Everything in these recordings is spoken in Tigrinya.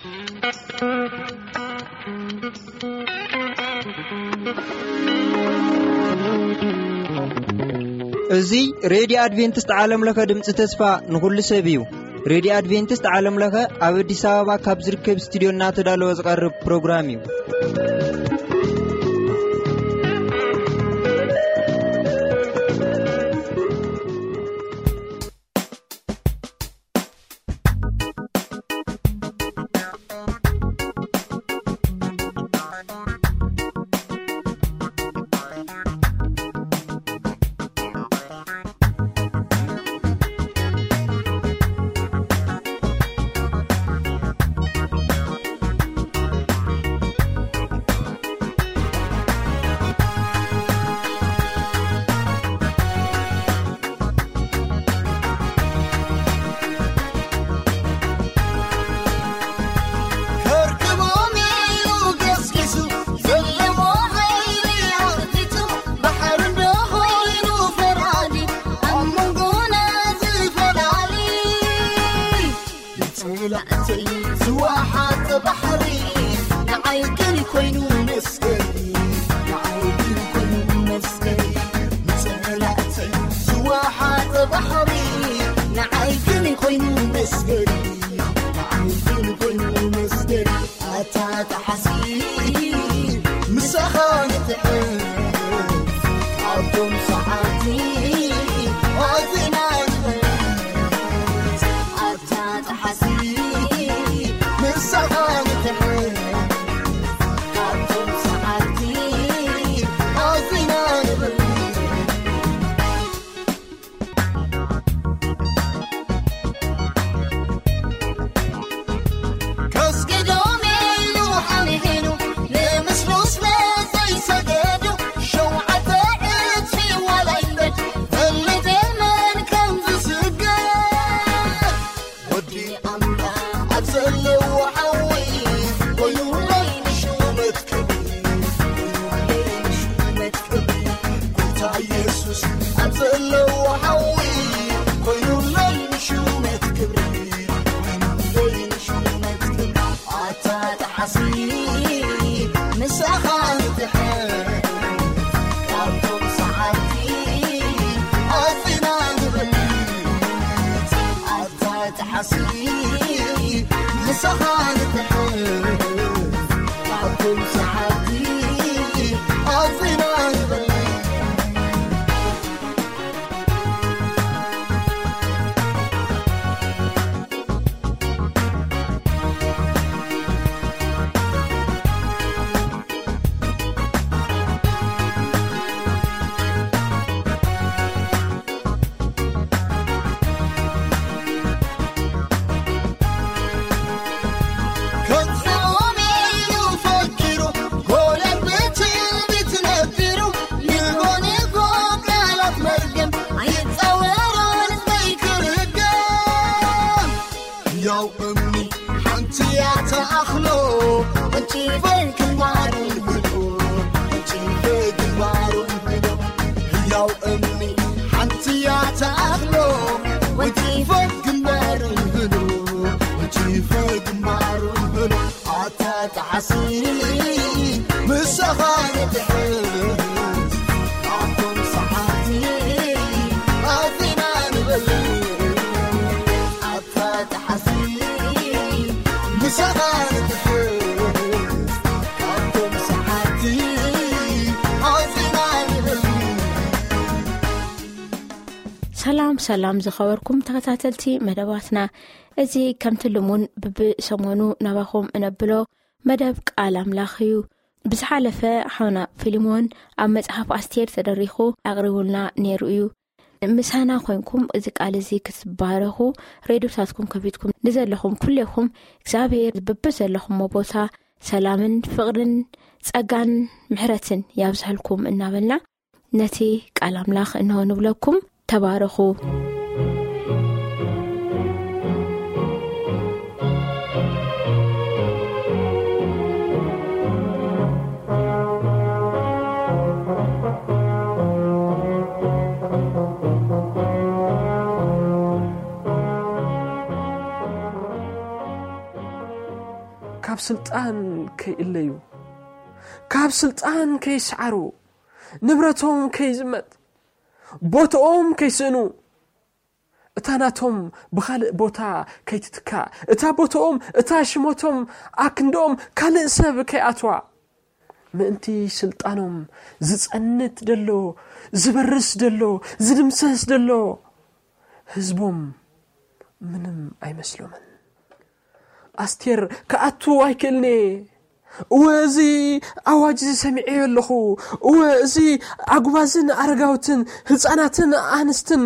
እዚ ሬድዮ ኣድቬንቲስት ዓለም ለኸ ድምፂ ተስፋ ንኹሉ ሰብ እዩ። ሬድዮ ኣድቬንቲስት ዓለም ለኸ ኣብ ኣዲስ ኣበባ ካብ ዝርከብ ስቱዲዮ እናተዳለወ ዝቐርብ ፕሮግራም እዩ። ሰላም ሰላም ዝኸበርኩም ተኸታተልቲ መደባትና፣ እዚ ከምቲ ልሙን ብብሰሞኑ ናባኹም እነብሎ መደብ ቃል ኣምላኽ እዩ። ብዝሓለፈ ሓውና ፊልሞን ኣብ መጽሓፍ ኣስቴር ተደሪኹ ኣቕሪቡልና ነይሩ እዩ። ምሳና ኮይንኩም እዚ ቃል እዚ ክትባረኹ፣ ሬድዮታትኩም ከፊትኩም ንዘለኹም ኩሌኹም፣ እግዚኣብሔር በብዘለኹሞ ቦታ ሰላምን ፍቕርን ጸጋን ምሕረትን ያብዝሐልኩም እናበልና፣ ነቲ ቃል ኣምላኽ እንሆ ንብለኩም። ተባረኹ። ካብ ስልጣን ከይእለዩ፣ ካብ ስልጣን ከይስዓሩ፣ ንብረቶም ከይዝመት፣ ቦታኦም ከይስእኑ፣ እታ ናቶም ብኻልእ ቦታ ከይትትካእ፣ እታ ቦታኦም፣ እታ ሽሞቶም ኣክንዶኦም ካልእ ሰብ ከይኣትዋ፣ ምእንቲ ስልጣኖም ዝጸንት ደሎ፣ ዝበርስ ደሎ፣ ዝድምሰስ ደሎ ህዝቦም ምንም ኣይመስሎምን። ኣስቴር ክኣቱ ኣይክእልኔ። እወ፣ እዚ ኣዋጅ እዚ ሰሚዐዮ ኣለኹ። እወ፣ እዚ ኣጉባዝን ኣረጋውትን ህፃናትን ኣንስትን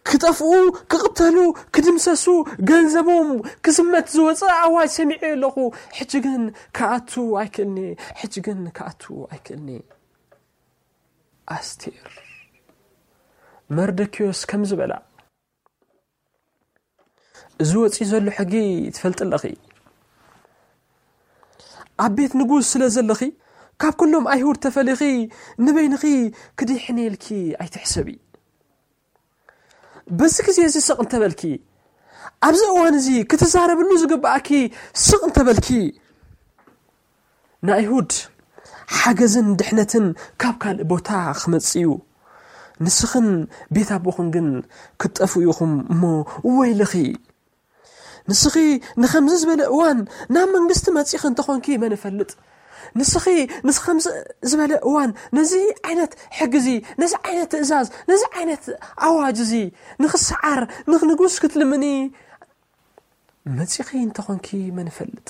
ክጠፍኡ፣ ክቕተሉ፣ ክድምሰሱ፣ ገንዘቦም ክዝመት ዝወፀ ኣዋጅ ሰሚዐዮ ኣለኹ። ሕጂ ግን ክኣቱ ኣይክእልኔ። ሕጂ ግን ክኣቱ ኣይክእልኔ። ኣስቴር፣ መርደኪዮስ ከምዚ በላ፣ እዚ ወፂኡ ዘሎ ሕጊ ትፈልጢ ኣለኺ። ኣብ ቤት ንጉስ ስለ ዘለኺ፣ ካብ ኩሎም ኣይሁድ ተፈሊኺ ንበይንኺ ክድሕኒ ኢልኪ ኣይትሕሰቢ። በዚ ግዜ እዚ ስቕ እንተበልኪ፣ ኣብዚ እዋን እዚ ክትዛረብሉ ዝግብኣኪ ስቕ እንተበልኪ፣ ንኣይሁድ ሓገዝን ድሕነትን ካብ ካልእ ቦታ ክመጽእ እዩ። ንስኽን ቤት ኣቦኽን ግን ክትጠፍኡ ኢኹም እሞ ወይልኺ። ንስኺ ንኸምዚ ዝበለ እዋን ናብ መንግስቲ መጺኺ እንተኾንኪ መን ይፈልጥ? ንስኺ ምስ ከምዚ ዝበለ እዋን ነዚ ዓይነት ሕጊ እዚ፣ ነዚ ዓይነት ትእዛዝ፣ ነዚ ዓይነት ኣዋጅ እዚ ንኽሰዓር ንንጉስ ክትልምኒ መጺኺ እንተኾንኪ መን ይፈልጥ?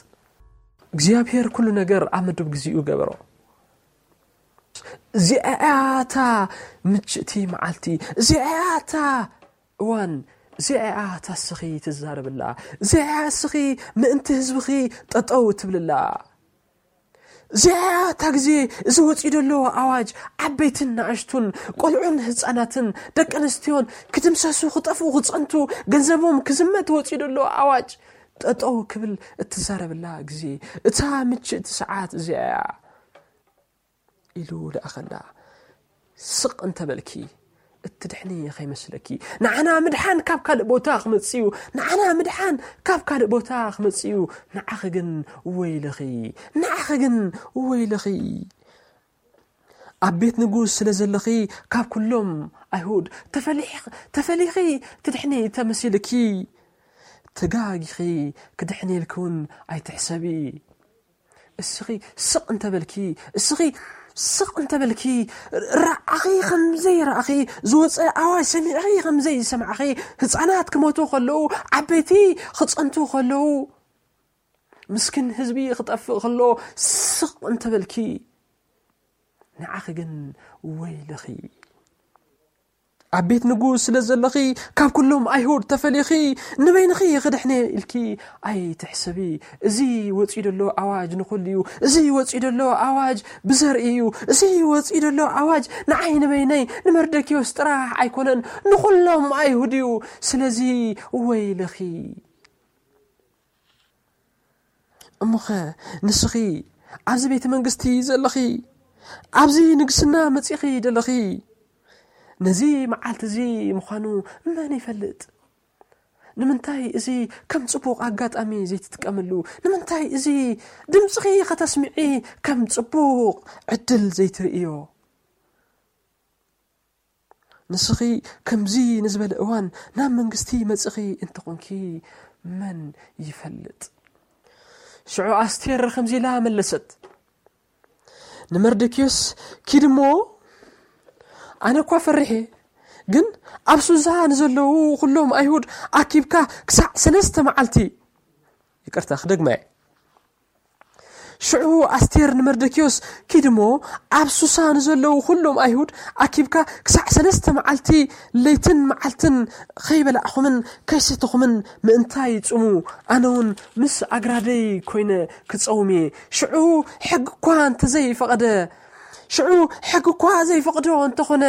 እግዚኣብሔር ኩሉ ነገር ኣብ መደብ ግዚኡ ገበሮ። እዚኣ እያ እታ ምችእቲ መዓልቲ፣ እዚኣ እያ እታ እዋን፣ እዚኣ እያ እታ እስኺ ትዛረብላ፣ እዚኣ እያ እስኺ ምእንቲ ህዝብኺ ጠጠው ትብልላ። እዚኣ እያ እታ ግዜ፣ እዚ ወፂኡ ዘሎ ኣዋጅ ዓበይትን ንኣሽቱን፣ ቆልዑን ህፃናትን ደቂ ኣንስትዮን ክድምሰሱ፣ ክጠፍኡ፣ ክፀንቱ፣ ገንዘቦም ክዝመት ወፂኡ ዘሎ ኣዋጅ ጠጠው ክብል እትዛረብላ ግዜ፣ እታ ምችእቲ ሰዓት እዚኣ እያ ኢሉ ለኣኸላ። ስቕ እንተበልኪ እትድሕኒ ኸይመስለኪ። ንዓና ምድሓን ካብ ካልእ ቦታ ክመጽእ እዩ። ንዓና ምድሓን ካብ ካልእ ቦታ ክመጽእ እዩ። ንዓኺ ግን ወይልኺ፣ ንዓኺ ግን ወይልኺ። ኣብ ቤት ንጉስ ስለ ዘለኺ ካብ ኩሎም ኣይሁድ ተፈሊሕ-፣ ተፈሊኺ ትድሕኒ ተመሲልኪ። ተጋጊኺ ክድሕኒ ኢልኪ እውን ኣይትሕሰቢ። እስኺ ስቕ እንተበልኪ፣ እስኺ ስቕ እንተበልኪ፣ ረኣኺ ከም ዘይረኣኺ፣ ዝወፀ ኣዋጅ ሰሚዕኺ ከም ዘይሰማዕኺ፣ ህፃናት ክሞቱ ከለዉ፣ ዓበይቲ ክፀንቱ ከለዉ፣ ምስኪን ህዝቢ ክጠፍእ ከሎ ስቕ እንተበልኪ፣ ንዓኺ ግን ወይልኺ። ኣብ ቤት ንጉስ ስለ ዘለኺ፣ ካብ ኩሎም ኣይሁድ ተፈሊኺ፣ ንበይንኺ ክድሕነ ኢልኪ ኣይትሕሰቢ። እዚ ወፂኡ ዘሎ ኣዋጅ ንኹሉ እዩ። እዚ ወፂኡ ዘሎ ኣዋጅ ብዘርኢ እዩ። እዚ ወፂኡ ዘሎ ኣዋጅ ንዓይ ንበይነይ፣ ንመርደኪዮስ ጥራሕ ኣይኮነን፣ ንኹሎም ኣይሁድ እዩ። ስለዚ ወይልኺ። እሞኸ ንስኺ ኣብዚ ቤተ መንግስቲ ዘለኺ፣ ኣብዚ ንግስና መጺኺ ደለኺ፣ ነዚ መዓልቲ እዚ ምዃኑ መን ይፈልጥ? ንምንታይ እዚ ከም ጽቡቕ ኣጋጣሚ ዘይትጥቀምሉ? ንምንታይ እዚ ድምጽኺ ከተስምዒ ከም ጽቡቕ ዕድል ዘይትርእዮ? ንስኺ ከምዚ ንዝበለ እዋን ናብ መንግስቲ መጽኺ እንተኾንኪ መን ይፈልጥ? ሽዑ ኣስቴር ከምዚ ኢላ መለሰት፣ ንመርደኪዮስ፣ "ኪድ እሞ፣ ኣነ እኳ ፈሪሐ፣ ግን ኣብ ሱዛ ንዘለዉ ኩሎም ኣይሁድ ኣኪብካ ክሳዕ ሰለስተ መዓልቲ"፣ ይቅርታ ክደግማ እየ። ሽዑ ኣስቴር ንመርደኪዮስ፣ "ኪድ እሞ ኣብ ሱሳ ንዘለዉ ኩሎም ኣይሁድ ኣኪብካ ክሳዕ ሰለስተ መዓልቲ ለይትን መዓልትን ከይበላዕኹምን ከይሰተኹምን ምእንታይ ጽሙ፣ ኣነ እውን ምስ ኣግራደይ ኮይነ ክጸውም እየ። ሽዑ ሕጊ እኳ እንተዘይፈቐደ፣ ሽዑ ሕጊ እኳ ዘይፈቕዶ እንተኾነ፣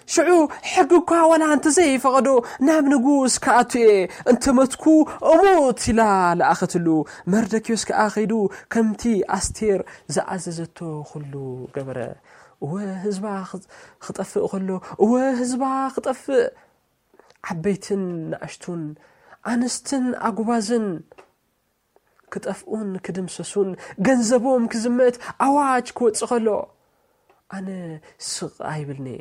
ሽዑ ሕጊ እኳ ዋላ እንተዘይፈቐዶ ናብ ንጉስ ክኣቱ እየ፣ እንተመትኩ እሙት" ኢላ ለኣኸትሉ። መርደኪዮስ ከኣ ከይዱ ከምቲ ኣስቴር ዝኣዘዘቶ ኩሉ ገበረ። እወ ህዝባ ክጠፍእ ከሎ፣ እወ ህዝባ ክጠፍእ፣ ዓበይትን ንኣሽቱን፣ ኣንስትን ኣጉባዝን፣ ክጠፍኡን ክድምሰሱን፣ ገንዘቦም ክዝመት ኣዋጅ ክወጽእ ከሎ፣ ኣነ ስቕ ኣይብልን'የ።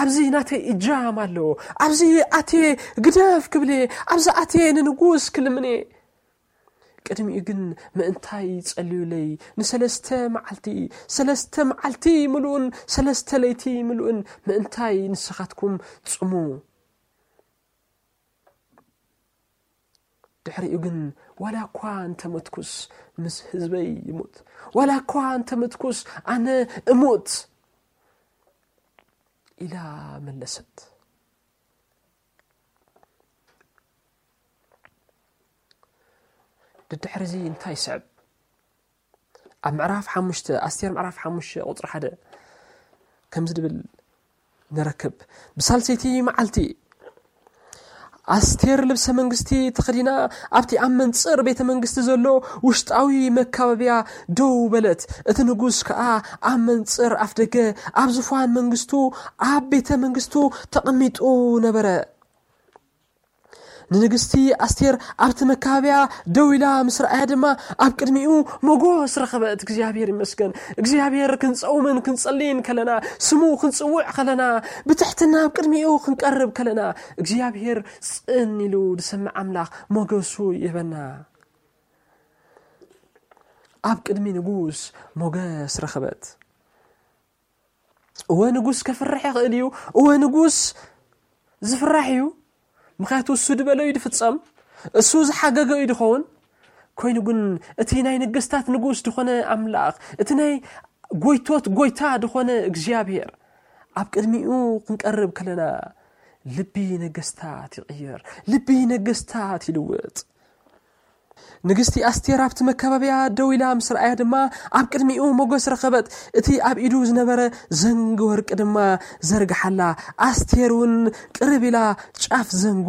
ኣብዚ ናተይ እጃም ኣለዎ። ኣብዚ ኣትየ ግደፍ ክብል'የ። ኣብዚ ኣትየ ንንጉስ ክልምን'የ። ቅድሚኡ ግን ምእንታይ ጸልዩለይ ንሰለስተ መዓልቲ፣ ሰለስተ መዓልቲ ምሉእን ሰለስተ ለይቲ ምሉእን ምእንታይ ንስኻትኩም ጽሙ። ድሕሪኡ ግን ዋላ እኳ እንተመትኩስ ምስ ህዝበይ ይሙት፣ ዋላ እኳ እንተመትኩስ ኣነ እሙት ኢላ መለሰት። ድድሕርዚ እንታይ ይስዕብ? ኣብ ምዕራፍ ሓሙሽተ፣ ኣስቴር ምዕራፍ ሓሙሽተ ቁጽሪ ሓደ ከምዚ ድብል ንረክብ። ብሳልሰይቲ መዓልቲ ኣስቴር ልብሰ መንግስቲ ተኸዲና ኣብቲ ኣብ መንጽር ቤተ መንግስቲ ዘሎ ውሽጣዊ መካበብያ ደው በለት። እቲ ንጉስ ከኣ ኣብ መንጽር ኣፍደገ ኣብ ዙፋን መንግስቱ ኣብ ቤተ መንግስቱ ተቐሚጡ ነበረ። ንንግስቲ ኣስቴር ኣብቲ መካበብያ ደው ኢላ ምስ ረኣያ ድማ ኣብ ቅድሚኡ ሞጎስ ረኸበት። እግዚኣብሔር ይመስገን። እግዚኣብሔር ክንጸውምን ክንጸልይን ከለና፣ ስሙ ክንጽውዕ ከለና፣ ብትሕትና ኣብ ቅድሚኡ ክንቀርብ ከለና፣ እግዚኣብሔር ጽን ኢሉ ዝሰምዕ ኣምላኽ ሞገሱ ይህበና። ኣብ ቅድሚ ንጉስ ሞገስ ረኸበት። እወ ንጉስ ከፍርሕ ይኽእል እዩ። እወ ንጉስ ዝፍራሕ እዩ። ምኽንያቱ እሱ ድበሎ እዩ ድፍጸም። እሱ ዝሓገገ እዩ ድኸውን። ኮይኑ ግን እቲ ናይ ነገስታት ንጉስ ድኾነ ኣምላኽ፣ እቲ ናይ ጎይቶት ጎይታ ድኾነ እግዚኣብሔር ኣብ ቅድሚኡ ክንቀርብ ከለና ልቢ ነገስታት ይቕየር፣ ልቢ ነገስታት ይልውጥ። ንግስቲ ኣስቴር ኣብቲ መካበብያ ደው ኢላ ምስ ረኣያ ድማ ኣብ ቅድሚኡ ሞገስ ረኸበት። እቲ ኣብ ኢዱ ዝነበረ ዘንጊ ወርቂ ድማ ዘርግሓላ። ኣስቴር እውን ቅርብ ኢላ ጫፍ ዘንጉ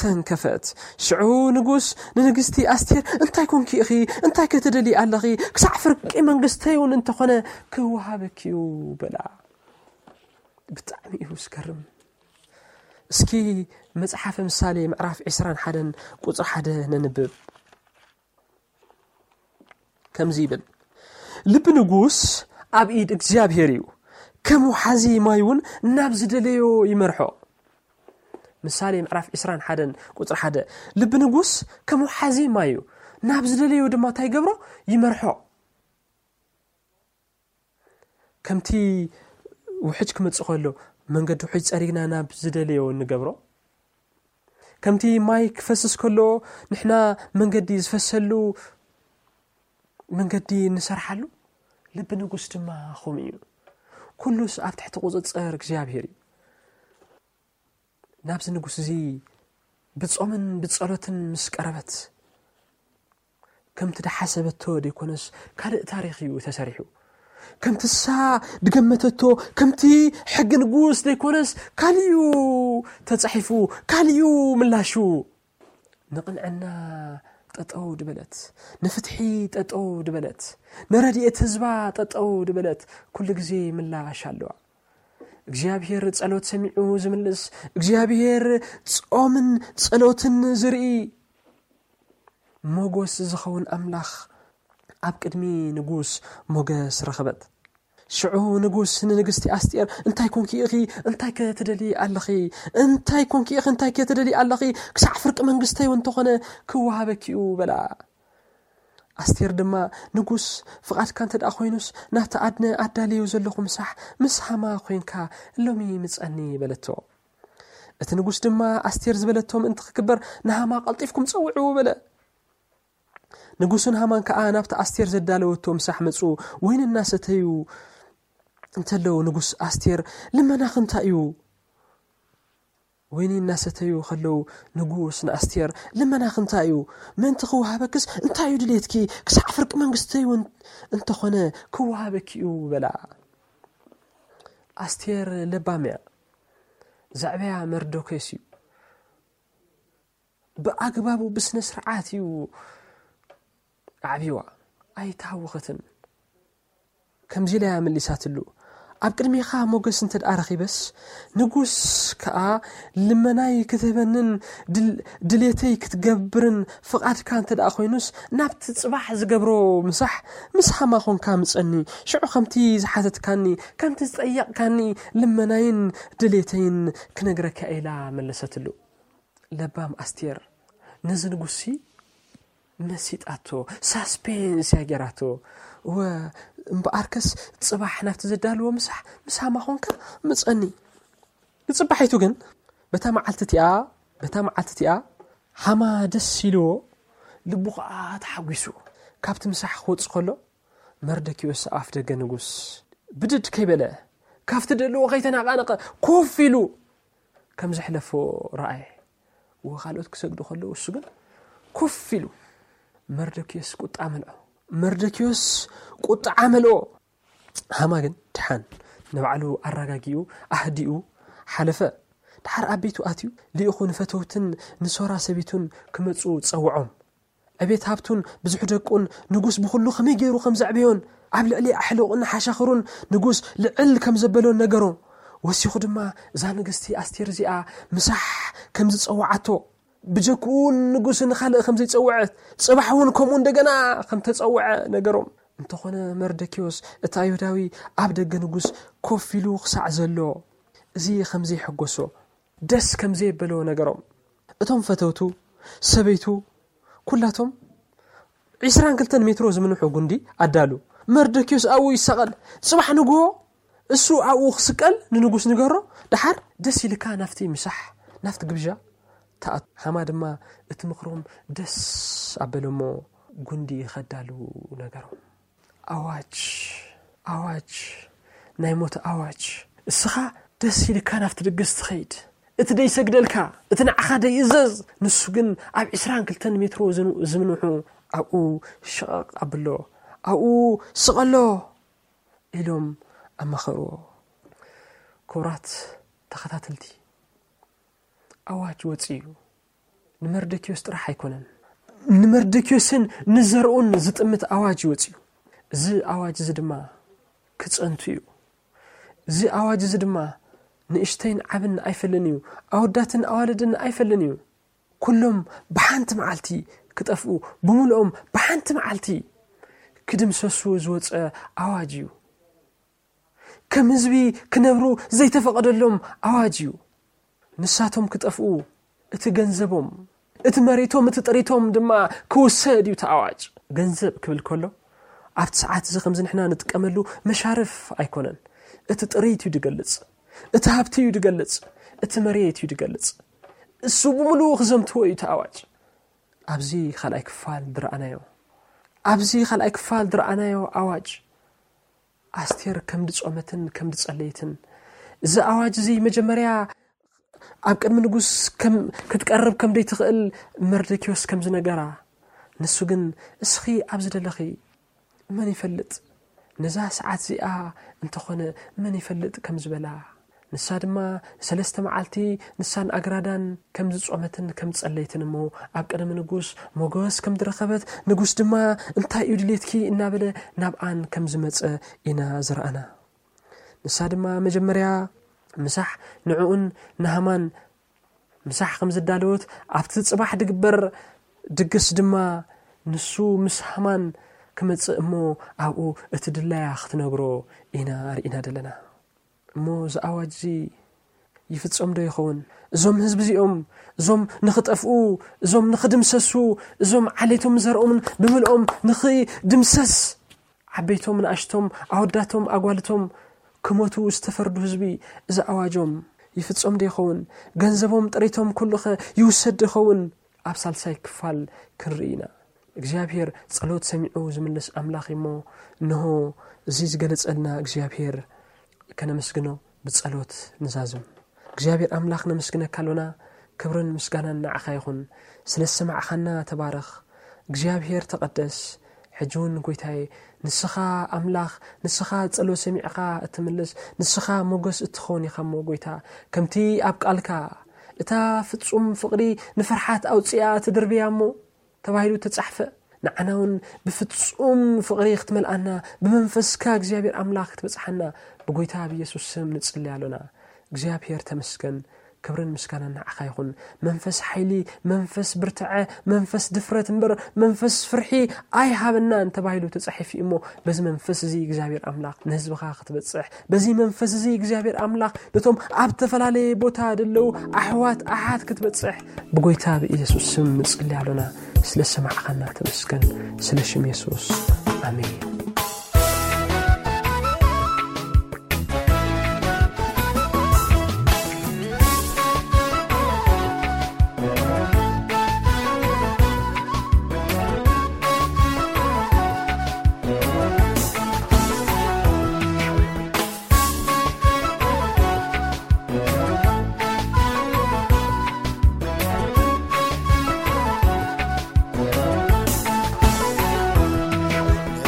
ተንከፈት። ሽዑ ንጉስ ንንግስቲ ኣስቴር፣ "እንታይ ኮንኪ ኢኺ? እንታይ ከ ትደልዪ ኣለኺ? ክሳዕ ፍርቂ መንግስተይ እውን እንተኾነ ክወሃበኪ እዩ" በላ። ብጣዕሚ እዩ ዝገርም። እስኪ መጽሓፈ ምሳሌ ምዕራፍ ዕስራን ሓደን ቁጽሪ ሓደ ነንብብ። ከምዚ ይብል፣ "ልቢ ንጉስ ኣብ ኢድ እግዚኣብሔር እዩ፣ ከም ውሓዚ ማይ እውን ናብ ዝደለዮ ይመርሖ።" ምሳሌ ምዕራፍ ዕስራን ሓደን ቁጽሪ ሓደ፣ ልቢ ንጉስ ከም ውሓዚ ማይ እዩ፣ ናብ ዝደለዮ ድማ እንታይ ይገብሮ? ይመርሖ። ከምቲ ውሕጅ ክመጽእ ከሎ መንገዲ ውሕጅ ጸሪግና ናብ ዝደለዮ እንገብሮ፣ ከምቲ ማይ ክፈስስ ከሎ ንሕና መንገዲ ዝፈሰሉ መንገዲ እንሰርሓሉ፣ ልቢ ንጉስ ድማ ከምኡ እዩ። ኩሉስ ኣብ ትሕቲ ቁጽጽር እግዚኣብሔር እዩ። ናብዚ ንጉስ እዚ ብጾምን ብጸሎትን ምስ ቀረበት፣ ከምቲ ድሓሰበቶ ደይኮነስ ካልእ ታሪኽ እዩ ተሰሪሑ። ከምቲ እሳ ድገመተቶ፣ ከምቲ ሕጊ ንጉስ ደይኮነስ ካልእ እዩ ተጻሒፉ፣ ካልእ እዩ ምላሹ። ንቕንዕና ጠጠው ድበለት፣ ንፍትሒ ጠጠው ድበለት፣ ንረድኤት ህዝባ ጠጠው ድበለት፣ ኩሉ ግዜ ምላሽ ኣለዋ። እግዚኣብሔር ጸሎት ሰሚዑ ዝምልስ፣ እግዚኣብሔር ጾምን ጸሎትን ዝርኢ፣ ሞጎስ ዝኸውን ኣምላኽ ኣብ ቅድሚ ንጉስ ሞገስ ረኸበት። ሽዑ ንጉስ ንንግስቲ ኣስጢር፣ "እንታይ ኮንኪ ኢኺ? እንታይ ከ ትደልዪ ኣለኺ? እንታይ ኮንኪ ኢኺ? እንታይ ከ ትደልዪ ኣለኺ? ክሳዕ ፍርቂ መንግስተይ እውን እንተኾነ ክወሃበኪ እዩ" በላ። ኣስቴር ድማ፣ "ንጉስ፣ ፍቓድካ እንተ ደኣ ኮይኑስ፣ ናብቲ ኣድነ ኣዳልዮ ዘለኹ ምሳሕ ምስ ሃማ ኮይንካ ሎሚ ምጸኒ" በለቶ። እቲ ንጉስ ድማ ኣስቴር ዝበለቶ ምእንቲ ክግበር፣ "ንሃማ ቀልጢፍኩም ጸውዕዎ" በለ። ንጉስን ሃማን ከኣ ናብቲ ኣስቴር ዘዳለወቶ ምሳሕ መጹ። ወይኒ እናሰተዩ እንተለዉ ንጉስ ኣስቴር፣ "ልመናኺ እንታይ እዩ?" ወይኒ እናሰተዩ ከለዉ ንጉስ ንኣስቴር፣ "ልመናኺ እንታይ እዩ? ምእንቲ ክወሃበክስ እንታይ እዩ ድሌትኪ? ክሳዕ ፍርቂ መንግስተይ እውን እንተኾነ ክወሃበኪ እዩ" በላ። ኣስቴር ለባም እያ። ዘዕበያ መርዶክዮስ እዩ። ብኣግባቡ ብስነ ስርዓት እዩ ኣዕብይዋ። ኣይተሃወኸትን። ከምዚ ኢላ እያ መሊሳትሉ፣ ኣብ ቅድሜኻ ሞገስ እንተ ደኣ ረኺበስ፣ ንጉስ ከኣ ልመናይ ክትህበንን ድል-፣ ድሌተይ ክትገብርን ፍቓድካ እንተ ደኣ ኮይኑስ፣ ናብቲ ጽባሕ ዝገብሮ ምሳሕ ምስ ሃማ ኾንካ ምጸኒ። ሽዑ ከምቲ ዝሓተትካኒ፣ ከምቲ ዝጠየቕካኒ ልመናይን ድሌተይን ክነግረካ ኢላ መለሰትሉ። ለባም ኣስቴር ነዚ ንጉስሲ መሲጣቶ፣ ሳስፔንስ እያ ጌራቶ። እወ፣ እምበኣርከስ ጽባሕ ናብቲ ዘዳልዎ ምሳሕ ምስ ሃማ ኾንካ ምጸኒ። ንጽባሒቱ ግን በታ መዓልቲ እቲኣ፣ በታ መዓልቲ እቲኣ ሃማ ደስ ኢልዎ፣ ልቡ ኸኣ ተሓጒሱ ካብቲ ምሳሕ ክወጽእ ከሎ፣ መርደኪዮስ ኣፍ ደገ ንጉስ ብድድ ከይበለ፣ ካብቲ ደልዎ ከይተናቓነቐ ኮፍ ኢሉ ከም ዘሕለፎ ረኣየ። እወ፣ ካልኦት ክሰግዱ ከለዉ እሱ ግን ኮፍ ኢሉ። መርደኪዮስ ቁጣ መልኦ። መርደኪዮስ ቁጥዓ መልኦ። ሃማ ግን ድሓን ንባዕሉ ኣረጋጊኡ ኣህዲኡ ሓለፈ። ድሓር ኣብ ቤቱ ኣትዩ ልኢኹ ንፈተውትን ንሶራ ሰበይቱን ክመጹ ጸውዖም። ዕቤት ሃብቱን ብዙሕ ደቁን ንጉስ ብኹሉ ከመይ ገይሩ ከም ዘዕበዮን ኣብ ልዕሊ ኣሕልቑን ሓሻኽሩን ንጉስ ልዕል ከም ዘበሎን ነገሮ። ወሲኹ ድማ እዛ ንግስቲ ኣስቴር እዚኣ ምሳሕ ከም ዝጸውዓቶ፣ ብጀክኡ ንጉስ ንኻልእ ከም ዘይጸውዐት፣ ጽባሕ እውን ከምኡ እንደገና ከም ተጸውዐ ነገሮም። እንተኾነ መርደኪዮስ እቲ ኣይሁዳዊ ኣብ ደገ ንጉስ ኮፍ ኢሉ ክሳዕ ዘሎ፣ እዚ ከም ዘይሐጎሶ፣ ደስ ከም ዘየበሎ ነገሮም። እቶም ፈተውቱ፣ ሰበይቱ፣ ኩላቶም ዒስራን ክልተን ሜትሮ ዝምንሑ ጉንዲ ኣዳሉ። መርደኪዮስ ኣብኡ ይሰቐል። ጽባሕ ንግሆ እሱ ኣብኡ ክስቀል ንንጉስ ንገሮ። ደሓር ደስ ኢልካ ናብቲ ምሳሕ፣ ናብቲ ግብዣ ተኣቱ። ሃማ ድማ እቲ ምኽሮም ደስ ኣበለሞ፣ ጉንዲ ከዳሉ ነገሮም። ኣዋጅ፣ ኣዋጅ፣ ናይ ሞት ኣዋጅ። እስኻ ደስ ኢልካ ናብቲ ድግስ ትኸይድ። እቲ ደይሰግደልካ፣ እቲ ንዓኻ ደይእዘዝ፣ ንሱ ግን ኣብ ዒስራን ክልተን ሜትሮ ዝን-፣ ዝምንሑ ኣብኡ ሽቐቕ ኣብሎ፣ ኣብኡ ስቐሎ ኢሎም ኣማኸርዎ። ክቡራት ተኸታተልቲ፣ ኣዋጅ ወጺኡ እዩ። ንመርደኪዮስ ጥራሕ ኣይኮነን፣ ንመርደኪዮስን ንዘርኡን ዝጥምት ኣዋጅ እዩ ወጺኡ። እዚ ኣዋጅ እዚ ድማ ክጸንቱ እዩ። እዚ ኣዋጅ እዚ ድማ ንእሽተይን ዓብን ኣይፈልን እዩ፣ ኣወዳትን ኣዋልድን ኣይፈልን እዩ። ኩሎም ብሓንቲ መዓልቲ ክጠፍኡ፣ ብምልኦም ብሓንቲ መዓልቲ ክድምሰሱ ዝወጸ ኣዋጅ እዩ። ከም ህዝቢ ክነብሩ ዘይተፈቐደሎም ኣዋጅ እዩ። ንሳቶም ክጠፍኡ፣ እቲ ገንዘቦም፣ እቲ መሬቶም፣ እቲ ጥሪቶም ድማ ክውሰድ እዩ እቲ ኣዋጅ። ገንዘብ ክብል ከሎ፣ ኣብቲ ሰዓት እዚ ከምዚ ንሕና ንጥቀመሉ መሻርፍ ኣይኮነን። እቲ ጥሪት እዩ ዝገልጽ፣ እቲ ሃብቲ እዩ ዝገልጽ፣ እቲ መሬት እዩ ዝገልጽ። እሱ ብምሉኡ ክዘምትዎ እዩ እቲ ኣዋጅ። ኣብዚ ካልኣይ ክፋል ዝረኣናዮ፣ ኣብዚ ካልኣይ ክፋል ዝረኣናዮ ኣዋጅ፣ ኣስቴር ከም ድጾመትን ከም ድጸለየትን፣ እዚ ኣዋጅ እዚ መጀመርያ ኣብ ቅድሚ ንጉስ ከም ክትቀርብ ከም ደይትኽእል መርደኪዮስ ከም ዝነገራ፣ ንሱ ግን እስኺ ኣብ ዝደለኺ መን ይፈልጥ፣ ነዛ ሰዓት እዚኣ እንተኾነ መን ይፈልጥ ከም ዝበላ፣ ንሳ ድማ ሰለስተ መዓልቲ ንሳን ኣግራዳን ከም ዝጾመትን ከም ዝጸለየትን እሞ ኣብ ቅድሚ ንጉስ ሞገስ ከም ዝረኸበት፣ ንጉስ ድማ እንታይ እዩ ድሌትኪ እናበለ ናብኣን ከም ዝመጸ ኢና ዝረኣና። ንሳ ድማ መጀመርያ ምሳሕ ንዕኡን ንሃማን ምሳሕ ከም ዝዳለወት፣ ኣብቲ ጽባሕ ድግበር ድግስ ድማ ንሱ ምስ ሃማን ክመጽእ እሞ ኣብኡ እቲ ድላያ ክትነግሮ ኢና ርኢና ዘለና። እሞ እዚ ኣዋጅ እዚ ይፍጸም ዶ ይኸውን? እዞም ህዝቢ እዚኦም፣ እዞም ንኽጠፍኡ፣ እዞም ንኽድምሰሱ፣ እዞም ዓሌቶም ዘርኦምን ብምልኦም ንኽድምሰስ፣ ዓበይቶም ንኣሽቶም፣ ኣወዳቶም ኣጓልቶም ክሞቱ ዝተፈርዱ ህዝቢ፣ እዚ ኣዋጆም ይፍጸም ዶ ይኸውን? ገንዘቦም ጥሪቶም ኩሉኸ ይውሰድ ዶ ይኸውን? ኣብ ሳልሳይ ክፋል ክንርኢ ኢና። እግዚኣብሔር ጸሎት ሰሚዑ ዝምልስ ኣምላኽ እሞ፣ እንሆ እዚ ዝገለጸልና እግዚኣብሔር ከነመስግኖ ብጸሎት ንዛዝም። እግዚኣብሔር ኣምላኽ ነመስግነካ ኣሎና፣ ክብርን ምስጋናን ንዓኻ ይኹን። ስለ ዝሰማዕኻና ተባረኽ። እግዚኣብሔር ተቐደስ። ሕጂ እውን ጎይታዬ፣ ንስኻ ኣምላኽ፣ ንስኻ ጸሎት ሰሚዕኻ እትምልስ፣ ንስኻ ሞገስ እትኸውን ኢኻ እሞ ጎይታ፣ ከምቲ ኣብ ቃልካ፣ "እታ ፍጹም ፍቕሪ ንፍርሓት ኣውጽኣ ትድርብያ እሞ" ተባሂሉ ተጻሕፈ፣ ንዓና እውን ብፍጹም ፍቕሪ ክትመልኣና፣ ብመንፈስካ እግዚኣብሔር ኣምላኽ ክትበጽሓና ብጎይታ ብኢየሱስ ስም ንጽሊ ኣሎና። እግዚኣብሔር ተመስገን። ክብርን ምስጋናን ንዓኻ ይኹን። መንፈስ ሓይሊ፣ መንፈስ ብርትዐ፣ መንፈስ ድፍረት እምበር መንፈስ ፍርሒ ኣይሃበናን ተባሂሉ ተጻሒፉ እዩ እሞ፣ በዚ መንፈስ እዚ እግዚኣብሔር ኣምላኽ ንህዝብኻ ክትበጽሕ፣ በዚ መንፈስ እዚ እግዚኣብሔር ኣምላኽ ነቶም ኣብ ዝተፈላለየ ቦታ ዘለዉ ኣሕዋት ኣሓት ክትበጽሕ ብጎይታ ብኢየሱስ ስም ንጽሊ ኣሎና። ስለ ሰማዕኻና ተመስገን። ስለ ሽም የሱስ። ኣሜን።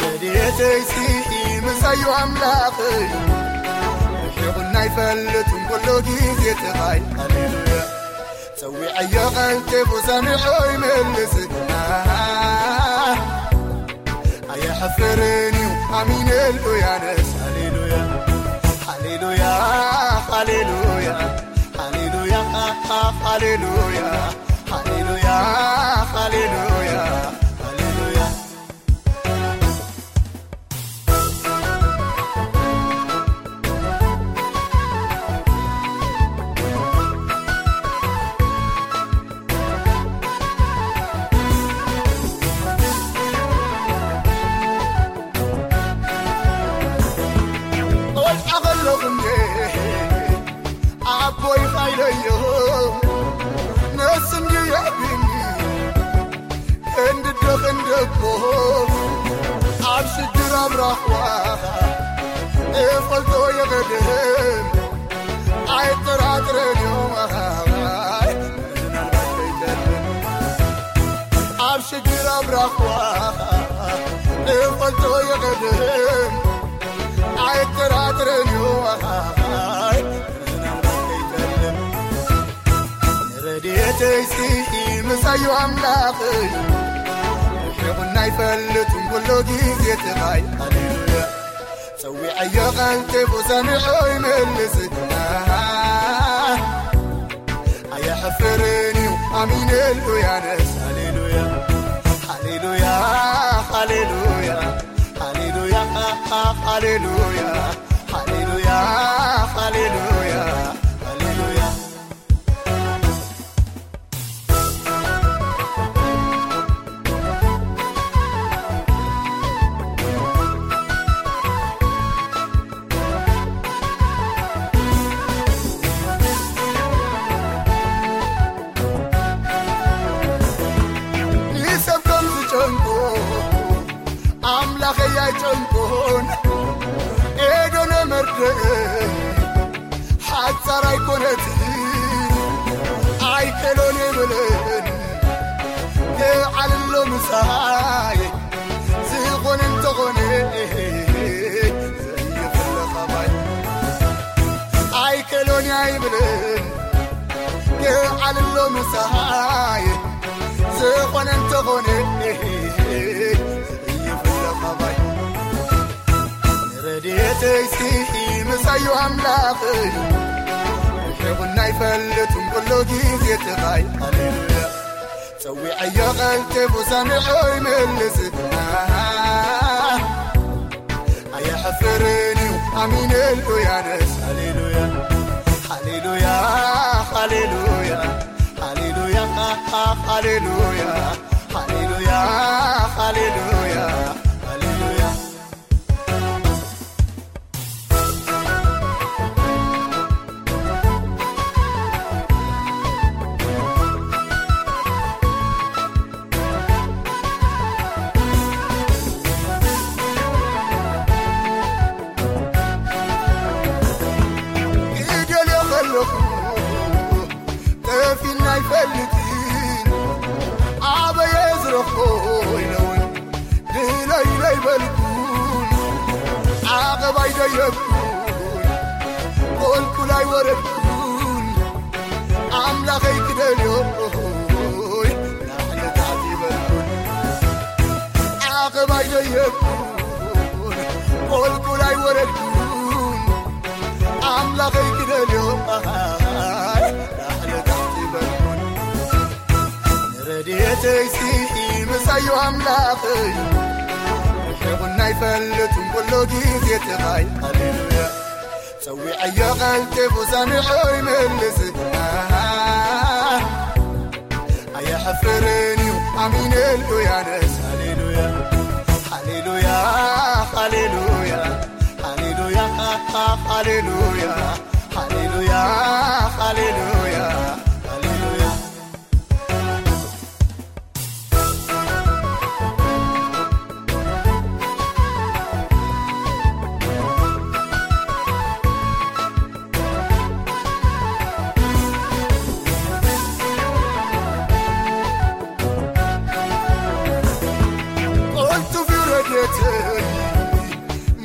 ረድኤተይሲ ምሳዩ ኣምላኸይ፣ ርሒቑና ኣይፈልጥን ኩሉ ግዜ ተኻይ። ሃሌሉያ። ጸዊዐዮ ቀልጢፉ ሰሚዑ ይምልስ። ኣይሕፍርን እዩ ኣሚነሉ ያነስ። ሃሌሉያ፣ ሃሌሉያ፣ ሃሌሉያ፣ ሃሌሉያ፣ ሃሌሉያ፣ ሃሌሉያ፣ ሃሌሉያ፣ ሃሌሉያ። ቆልዓ ከለኹ እንዴ ኣቦይ ኻይለዮ ነስንዲ የዕቢኒ። ክንድዶ ክንደቦ ኣብ ሽግር ኣብ ራኽዋ እፈልጦ የቐድም ኣይጠራጥረን እዩ። ምናልባት ከይቀድም ኣብ ሽግር ኣብ ራኽዋ እፈልጦ የቐድም ኣይጠራጥረን እዩ። ምናልባት ከይቀድም ረድኤተይሲ ምሳዩ ኣምላኸይ፣ ርሒቑና ኣይፈልጥን ኩሉ ግዜ ተኻይ። ሃሌሉያ። ጸዊዐዮ ቀልጢፉ ሰሚዑ ይምልስ። ኣየሕፍርን እዩ ኣሚነሉ ያነስ። ሃሌሉያ፣ ሃሌሉያ፣ ሃሌሉያ፣ ሃሌሉያ፣ ሃሌሉያ፣ ሃሌሉያ፣ ሃሌሉያ፣ ሃሌሉያ። ንሰብ ከም ዝጨንቆ ኣምላኸይ ኣይጨንቆን። ኤዶነ መርድእ ሓጻር ኣይኮነትን ኣይከሎን የብልን። ክዓልሎ ምሳይ ዝኾነ እንተኾነ ዘይፍለ ኻባይ ኣይከሎን ኣይብልን። ክዓልሎ ምሳይ ዝኾነ እንተኾነ ዘይፍለ ኻባይ ረድኤተይሲ ምሳዩ ኣምላኸይ ርሒቑና ኣይፈልጥን ኩሉ ግዜ ተኻይ። ሃሌሉያ። ጸዊዐዮ ቀልጢፉ ሰሚዑ ይምልስ። ኣየሕፍርን እዩ ኣሚነሉ ያነስ። ሃሌሉያ፣ ሃሌሉያ፣ ሃሌሉያ፣ ሃሌሉያ፣ ሃሌሉያ፣ ሃሌሉያ፣ ሃሌሉያ፣ ሃሌሉያ። ክደልዮ ከለኹ ጠፊና ኣይፈልጥን። ኣበየ ዝረኽቦ ኢለውን ድለይ ለይበልኩን ዓቐብ ኣይደየብኩን። ቁልቁል ኣይወረድኩን። ኣምላኸይ ክደልዮ ላዕሊ ታሕቲ ይበልኩን። የብኩን፣ ቆልቁል ኣይወረድኩን፣ ኣምላኸይ ክደልዮ ላዕሊ ታሕቲ በልኩን። ንረድኤተይሲ ምሳዩ ኣምላኸይ፣ ርሒቑና ኣይፈልጥን ኩሉ ግዜ ጥራይ። ሃሌሉያ። ጸዊዐዮ ቀልጢፉ ሰሚዑ ይምልስ። ኣየሕፍርን እዩ ኣሚነሉ ያነስ። ሃሌሉያ፣ ሃሌሉያ፣ ሃሌሉያ፣ ሃሌሉያ፣ ሃሌሉያ፣ ሃሌሉያ፣ ሃሌሉያ፣ ሃሌሉያ። ቅልጡፍ ረድኤት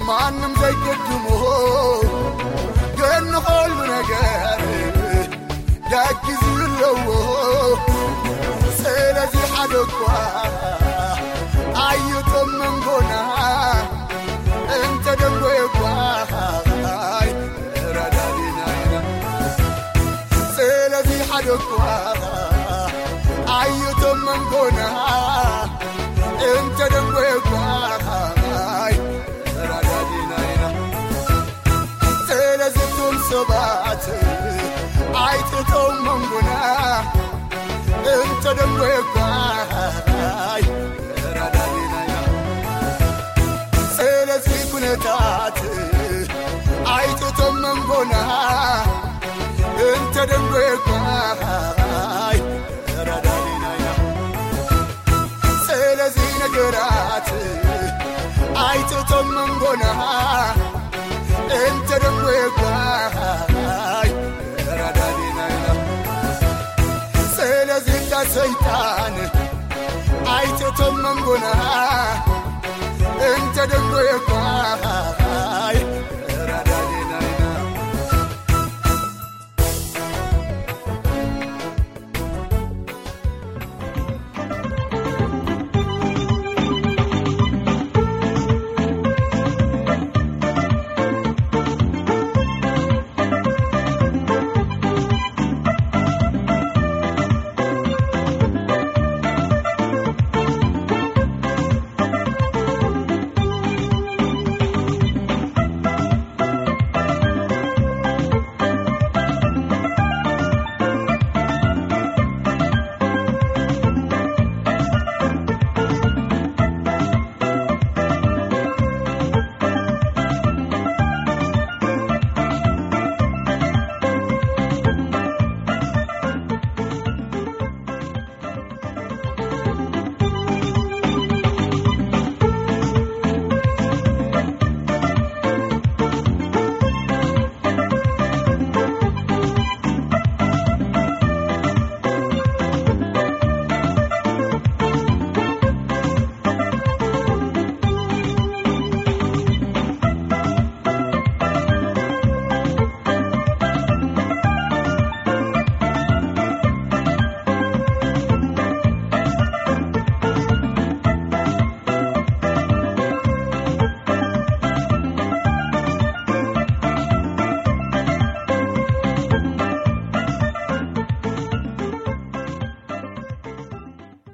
ማንም ዘይገድሞ፣ ግን ንኸሉ ነገር ደጊ ዝብለዎ፣ ስለዚ ሓደ እኳ ኣይቶም መንጎና እንተ ደንጎየ እኳ ረዳዲና ኢና። ስለዚ ሓደ እኳ ኣይቶም መንጎና እንተ ደንጎየ እኳ ረዳዲና ኢና። ስለዚ እቶም ሰባት ኣይትእተው መንጎና እንተ ደንጎየ እኳ ረዳዲና ኢና። ስለዚ ኩነታት ኣይትእቶም መንጎና እንተ ደንጎየ እኳ ረዳዲና ኢና። ስለዚ ነገራት ኣይትእቶም መንጎና እንተ ደንጎየ እኳ ረዳዲና ኢና። ስለዚ እታ ሰይጣን ኣይትእቶም መንጎና እንተ ደንጎየ እኳ